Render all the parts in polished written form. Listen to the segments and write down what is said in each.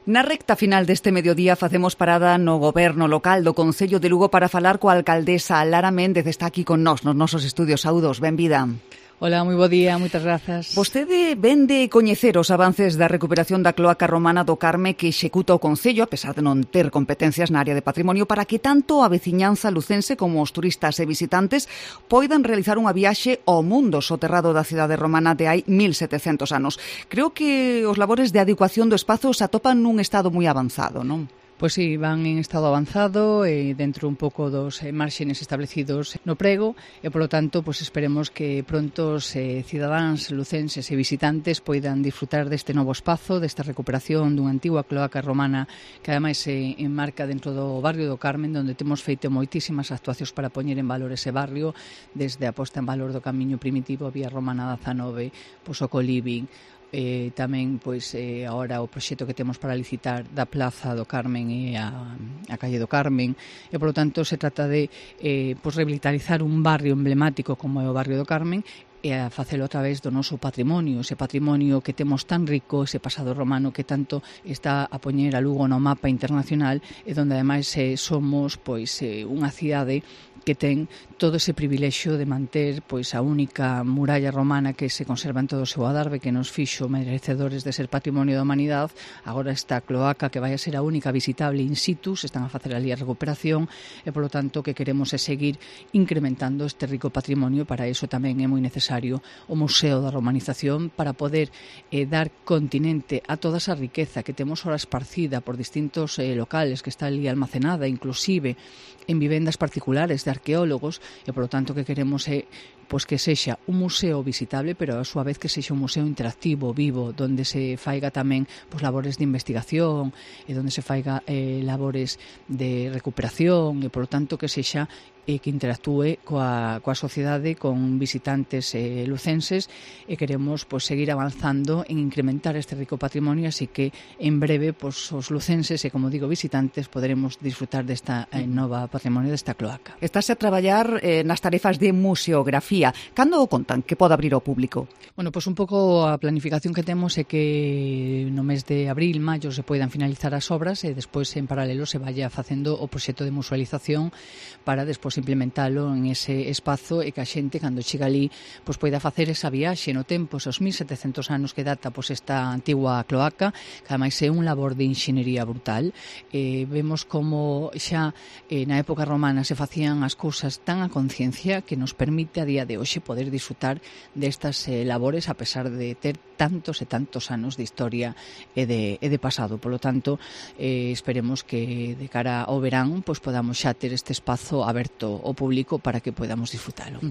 Na recta final deste mediodía facemos parada no goberno local do Concello de Lugo para falar coa alcaldesa Lara Méndez. Está aquí con nós nos nosos estudios. Saúdos, benvida. Hola, moi bo día, moitas grazas. Vostede vén de coñecer os avances da recuperación da cloaca romana do Carme que executa o Concello, a pesar de non ter competencias na área de patrimonio, para que tanto a veciñanza lucense como os turistas e visitantes poidan realizar unha viaxe ao mundo soterrado da cidade romana de hai 1700 anos. Creo que os labores de adecuación do espazo se atopan nun estado moi avanzado, non? Pois sí, van en estado avanzado e dentro un pouco dos márxenes establecidos no prego e, polo tanto, pois esperemos que pronto os cidadáns, lucenses e visitantes poidan disfrutar deste novo espazo, desta recuperación dunha antigua cloaca romana que ademais se enmarca dentro do barrio do Carmen, onde temos feito moitísimas actuacións para poñer en valor ese barrio, desde a posta en valor do camiño primitivo, a vía romana da 19, pois o coliving, tamén pois agora o proxecto que temos para licitar da Plaza do Carmen e a calle do Carmen e polo tanto se trata de pois revitalizar un barrio emblemático como é o barrio do Carmen e a facelo a través do noso patrimonio, ese patrimonio que temos tan rico, ese pasado romano que tanto está a poñer a Lugo no mapa internacional e donde ademais somos pois unha cidade que ten todo ese privilexio de manter pois a única muralla romana que se conserva en todo o seu adarve, que nos fixo merecedores de ser patrimonio da humanidade. Agora esta cloaca que vai a ser a única visitable in situ, se están a facer ali a recuperación e polo tanto que queremos é seguir incrementando este rico patrimonio. Para iso tamén é moi necesario o Museo da Romanización para poder dar continente a toda esa riqueza que temos ora esparcida por distintos locales que está ali almacenada, inclusive en vivendas particulares de arqueólogos e, polo tanto, que queremos é pois que sexa un museo visitable, pero a súa vez que sexa un museo interactivo, vivo, donde se faiga tamén pois labores de investigación e donde se faiga labores de recuperación e, polo tanto, que sexa que interactúe coa sociedade, con visitantes lucenses e queremos pois seguir avanzando en incrementar este rico patrimonio, así que en breve pois os lucenses e, como digo, visitantes poderemos disfrutar desta nova patrimonio desta cloaca. Estás a traballar nas tarefas de museografía. Cando o contan que pode abrir ao público? Bueno, pois un pouco a planificación que temos é que no mes de abril, maio se poidan finalizar as obras e despois en paralelo se vaya facendo o proxecto de musealización para despois implementalo en ese espazo e que a xente, cando chega ali, pois poida facer esa viaxe no tempo, esos 1700 anos que data pois esta antigua cloaca, que ademais é un labor de enxenería brutal. Vemos como xa na época romana se facían as cousas tan a conciencia que nos permite a día de hoxe poder disfrutar destas labores a pesar de ter tantos e tantos anos de historia e de pasado. Polo tanto, esperemos que de cara ao verán pois podamos xa ter este espazo aberto ao público para que podamos disfrutalo.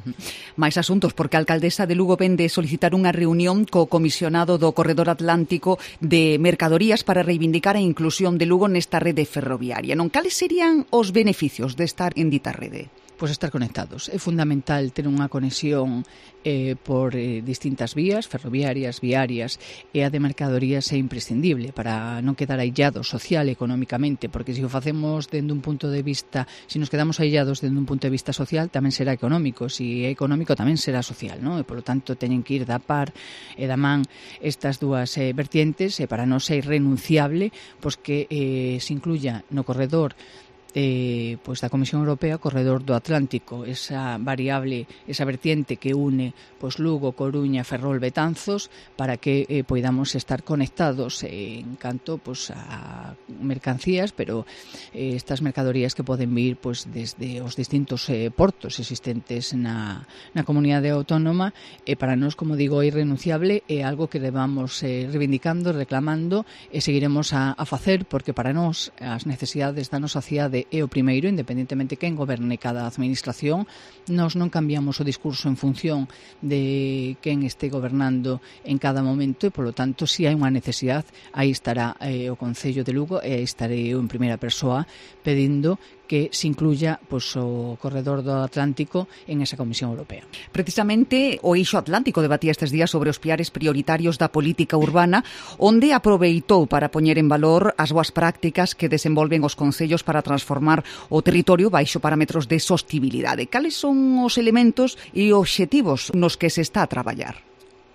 Mais asuntos, porque a alcaldesa de Lugo vende solicitar unha reunión co comisionado do Corredor Atlántico de Mercadorías para reivindicar a inclusión de Lugo nesta rede ferroviaria. Non, cales serían os beneficios de estar en dita rede? Pois estar conectados. É fundamental ter unha conexión por distintas vías, ferroviarias, viarias, e a de mercadorías é imprescindible para non quedar aillados social e económicamente, porque se o facemos dende un punto de vista, se nos quedamos aillados dende un punto de vista social, tamén será económico, se é económico tamén será social, non? E polo tanto teñen que ir da par e da man estas dúas vertientes, e para non ser irrenunciable pois que se incluya no corredor pois da Comisión Europea, corredor do Atlántico, esa variable, esa vertiente que une pois Lugo, Coruña, Ferrol, Betanzos, para que poidamos estar conectados en canto pois a mercancías, pero estas mercadorías que poden vir pois desde os distintos portos existentes na comunidade autónoma, e para nós, como digo, é irrenunciable, é algo que levamos reivindicando, reclamando e seguiremos a facer, porque para nós as necesidades da nosa cidade é o primeiro, independentemente quen goberne cada administración. Nós non cambiamos o discurso en función de quen este gobernando en cada momento e, polo tanto, se hai unha necesidade, aí estará o Concello de Lugo e aí estarei eu en primeira persoa pedindo que se incluya pois, o corredor do Atlántico en esa Comisión Europea. Precisamente o Eixo Atlántico debatía estes días sobre os piares prioritarios da política urbana, onde aproveitou para poñer en valor as boas prácticas que desenvolven os concellos para transformar o territorio baixo parámetros de sostibilidade. Cales son os elementos e obxectivos nos que se está a traballar?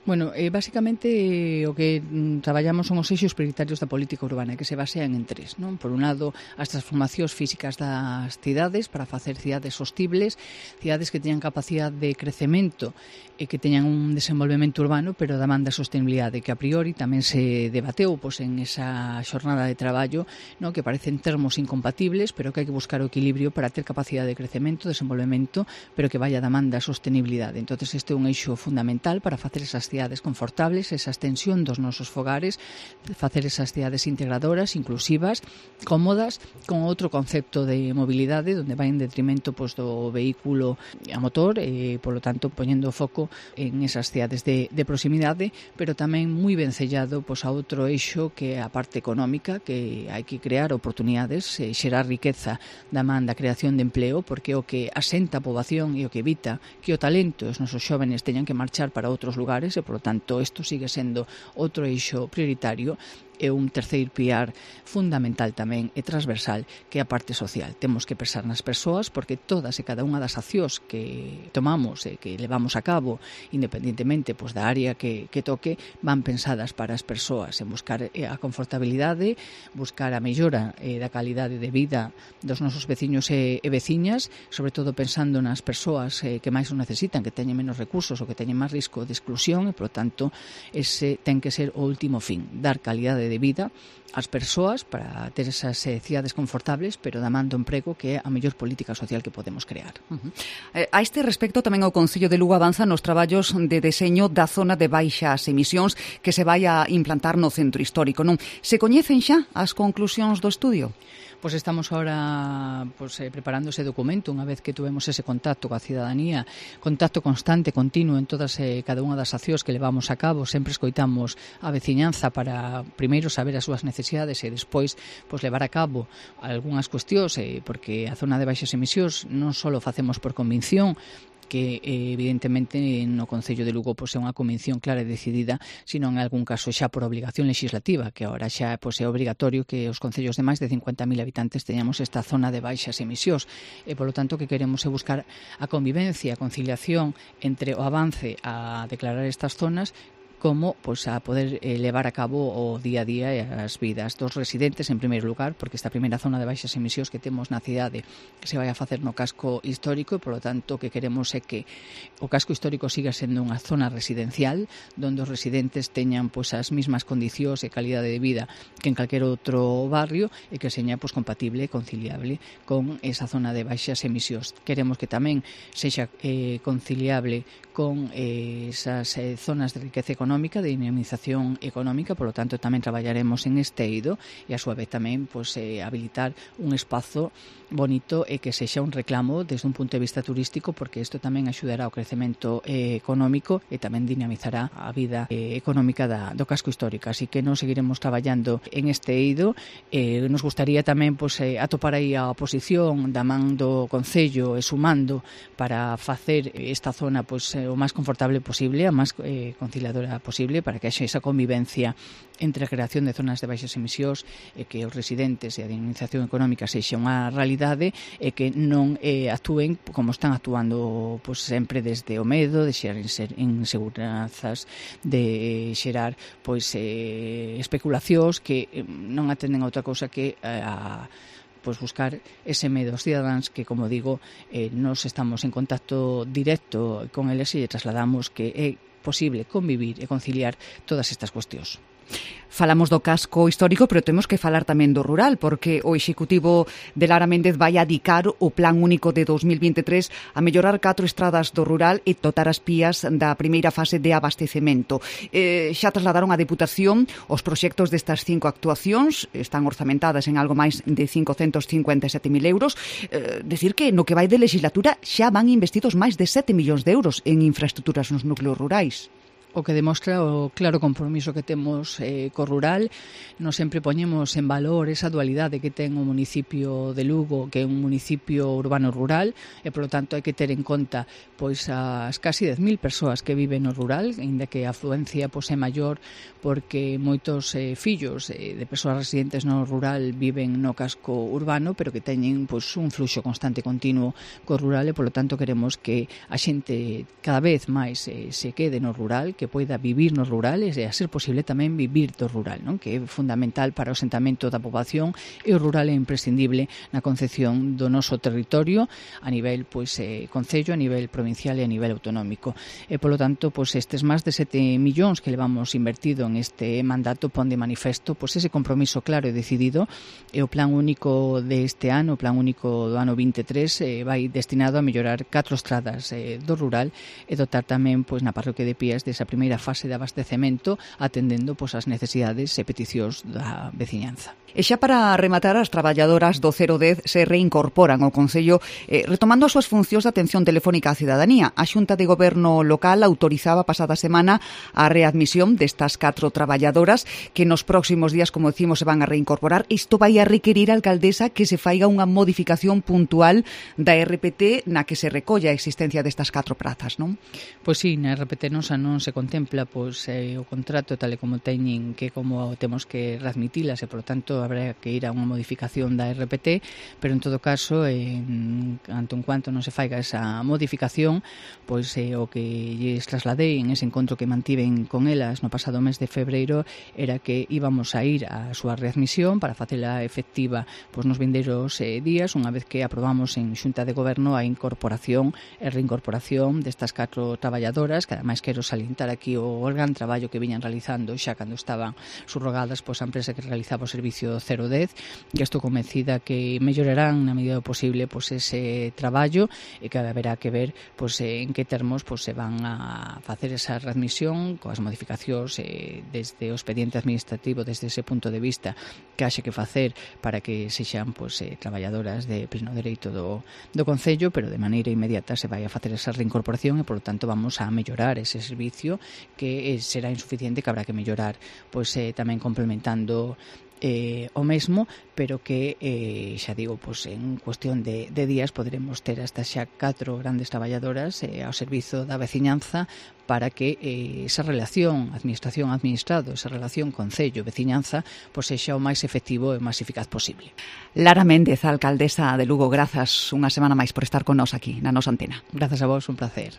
Bueno, basicamente o que traballamos son os eixos prioritarios da política urbana, que se basean en tres, non? Por un lado, as transformacións físicas das cidades para facer cidades sostibles, cidades que teñan capacidade de crecemento e que teñan un desenvolvemento urbano, pero da man da sostenibilidade, que a priori tamén se debateu en esa xornada de traballo, non? Que parecen termos incompatibles, pero que hai que buscar o equilibrio para ter capacidade de crecemento, desenvolvemento, pero que vaya da man da sostenibilidade. Entonces, este é un eixo fundamental para facer esas cidades confortables, esa extensión dos nosos fogares, facer esas cidades integradoras, inclusivas, cómodas, con outro concepto de mobilidade, onde vai en detrimento do vehículo a motor, polo tanto, poñendo foco en esas cidades de proximidade, pero tamén moi vencellado a outro eixo que é a parte económica, que hai que crear oportunidades, xerar riqueza da man da creación de empleo, porque é o que asenta a poboación e o que evita que o talento e os nosos xóvenes teñan que marchar para outros lugares, e, por lo tanto, isto sigue sendo outro eixo prioritario. E un terceiro piar fundamental tamén e transversal, que é a parte social. Temos que pensar nas persoas, porque todas e cada unha das accións que tomamos e que levamos a cabo, independentemente da área que toque, van pensadas para as persoas, en buscar a confortabilidade, buscar a mellora da calidade de vida dos nosos veciños e veciñas, sobre todo pensando nas persoas que máis o necesitan, que teñen menos recursos ou que teñen máis risco de exclusión, e, por tanto, ese ten que ser o último fin, dar calidade de vida ás persoas para ter esas cidades confortables, pero da man do emprego, que é a mellor política social que podemos crear. A este respecto, tamén o Concello de Lugo avanza nos traballos de deseño da zona de baixas emisións que se vai a implantar no centro histórico, non? Se coñecen xa as conclusións do estudio? Pois estamos ahora preparando ese documento, unha vez que tuvemos ese contacto coa cidadanía, contacto constante, continuo en todas cada unha das accións que levamos a cabo. Sempre escoitamos a veciñanza para primeiro saber as súas necesidades e despois levar a cabo algunhas cuestións, porque a zona de baixas emisións non só facemos por convicción, que evidentemente no Concello de Lugo é unha convención clara e decidida, sino en algún caso xa por obligación legislativa, que agora xa é obrigatorio que os concellos de máis de 50.000 habitantes teñamos esta zona de baixas emisións, e polo tanto que queremos é buscar a convivencia, a conciliación entre o avance a declarar estas zonas como a poder levar a cabo o día a día e as vidas dos residentes en primeiro lugar, porque esta primeira zona de baixas emisións que temos na cidade que se vai a facer no casco histórico, e polo tanto o que queremos é que o casco histórico siga sendo unha zona residencial onde os residentes teñan as mesmas condicións e calidade de vida que en calquer outro barrio, e que seña compatible e conciliable con esa zona de baixas emisións. Queremos que tamén sexa conciliable con esas zonas de riqueza económica, de dinamización económica, polo tanto tamén traballaremos en este eido, e a súa vez tamén habilitar un espazo bonito e que sexa un reclamo desde un punto de vista turístico, porque isto tamén axudará ao crecemento económico e tamén dinamizará a vida económica do casco histórico. Así que nos seguiremos traballando en este eido. Nos gustaría tamén atopar aí a oposición da man do Concello e sumando para facer esta zona o máis confortable posible, a máis conciliadora posible, para que haxa esa convivencia entre a creación de zonas de baixas emisións e que os residentes e a dinamización económica sexa unha realidade, e que non actúen como están actuando sempre desde o medo, de xerar inseguranzas, de xerar especulacións que non atenden a outra cousa que a buscar ese medo aos cidadáns, que, como digo, nos estamos en contacto directo con eles e trasladamos que é posible convivir e conciliar todas estas cuestións. Falamos do casco histórico, pero temos que falar tamén do rural, porque o Executivo de Lara Méndez vai adicar o Plan Único de 2023 a mellorar 4 estradas do rural e dotar as pías da primeira fase de abastecemento. Xa trasladaron á Deputación os proxectos destas 5 actuacións, están orzamentadas en algo máis de 557.000 euros. Decir que no que vai de legislatura xa van investidos máis de 7 millóns de euros en infraestructuras nos núcleos rurais. O que demostra o claro compromiso que temos co rural. Nos sempre poñemos en valor esa dualidade que ten o municipio de Lugo, que é un municipio urbano rural, e polo tanto hai que ter en conta as casi 10.000 persoas que viven no rural, ainda que a afluencia é maior, porque moitos fillos de persoas residentes no rural viven no casco urbano, pero que teñen un fluxo constante e continuo co rural, e polo tanto queremos que a xente cada vez máis se quede no rural, que que poida vivir no rural e, a ser posible, tamén vivir do rural, non? Que é fundamental para o asentamento da poboación, e o rural é imprescindible na concepción do noso territorio a nivel concello, a nivel provincial e a nivel autonómico. E, polo tanto, estes máis de 7 millóns que levamos invertido en este mandato pon de manifesto ese compromiso claro e decidido, e o plan único deste ano, o plan único do ano 23, vai destinado a mellorar 4 estradas do rural e dotar tamén na parroquia de Pías desa primeira fase de abastecemento, atendendo as necesidades e peticións da veciñanza. E xa para rematar, as traballadoras do 010 se reincorporan ao Concello retomando as súas funcións de atención telefónica á cidadanía. A Xunta de Goberno local autorizaba pasada semana a readmisión destas 4 traballadoras que nos próximos días, como decimos, se van a reincorporar. Isto vai a requerir, alcaldesa, que se faiga unha modificación puntual da RPT na que se recolla a existencia destas 4 prazas, non? Pois sí, na RPT nosa non se contempla o contrato tal e como teñen, que como temos que readmitilas e, por tanto, habrá que ir a unha modificación da RPT, pero en todo caso, tanto en cuanto non se faiga esa modificación, o que lles trasladei en ese encontro que mantiven con elas no pasado mes de febreiro era que íbamos a ir a súa readmisión para facela efectiva nos vindeiros días, unha vez que aprobamos en Xunta de Goberno a incorporación e reincorporación destas 4 traballadoras, que ademais quero salientar aquí o gran traballo que viñan realizando xa cando estaban subrogadas a empresa que realizaba o servicio 010, que estou convencida que mellorarán na medida do posible ese traballo e que haberá que ver en que termos se van a facer esa readmisión coas modificacións desde o expediente administrativo, desde ese punto de vista que haxe que facer para que sexan traballadoras de pleno dereito do Concello, pero de maneira inmediata se vai a facer esa reincorporación e, por lo tanto, vamos a mellorar ese servicio que será insuficiente, que habrá que mellorar tamén complementando o mesmo, pero que xa digo, en cuestión de días poderemos ter hasta xa 4 grandes traballadoras ao servizo da veciñanza para que esa relación administración-administrado, esa relación concello-veciñanza sexa o máis efectivo e o máis eficaz posible. Lara Méndez, alcaldesa de Lugo, grazas unha semana máis por estar con nós aquí na nosa antena. Grazas a vos, un placer.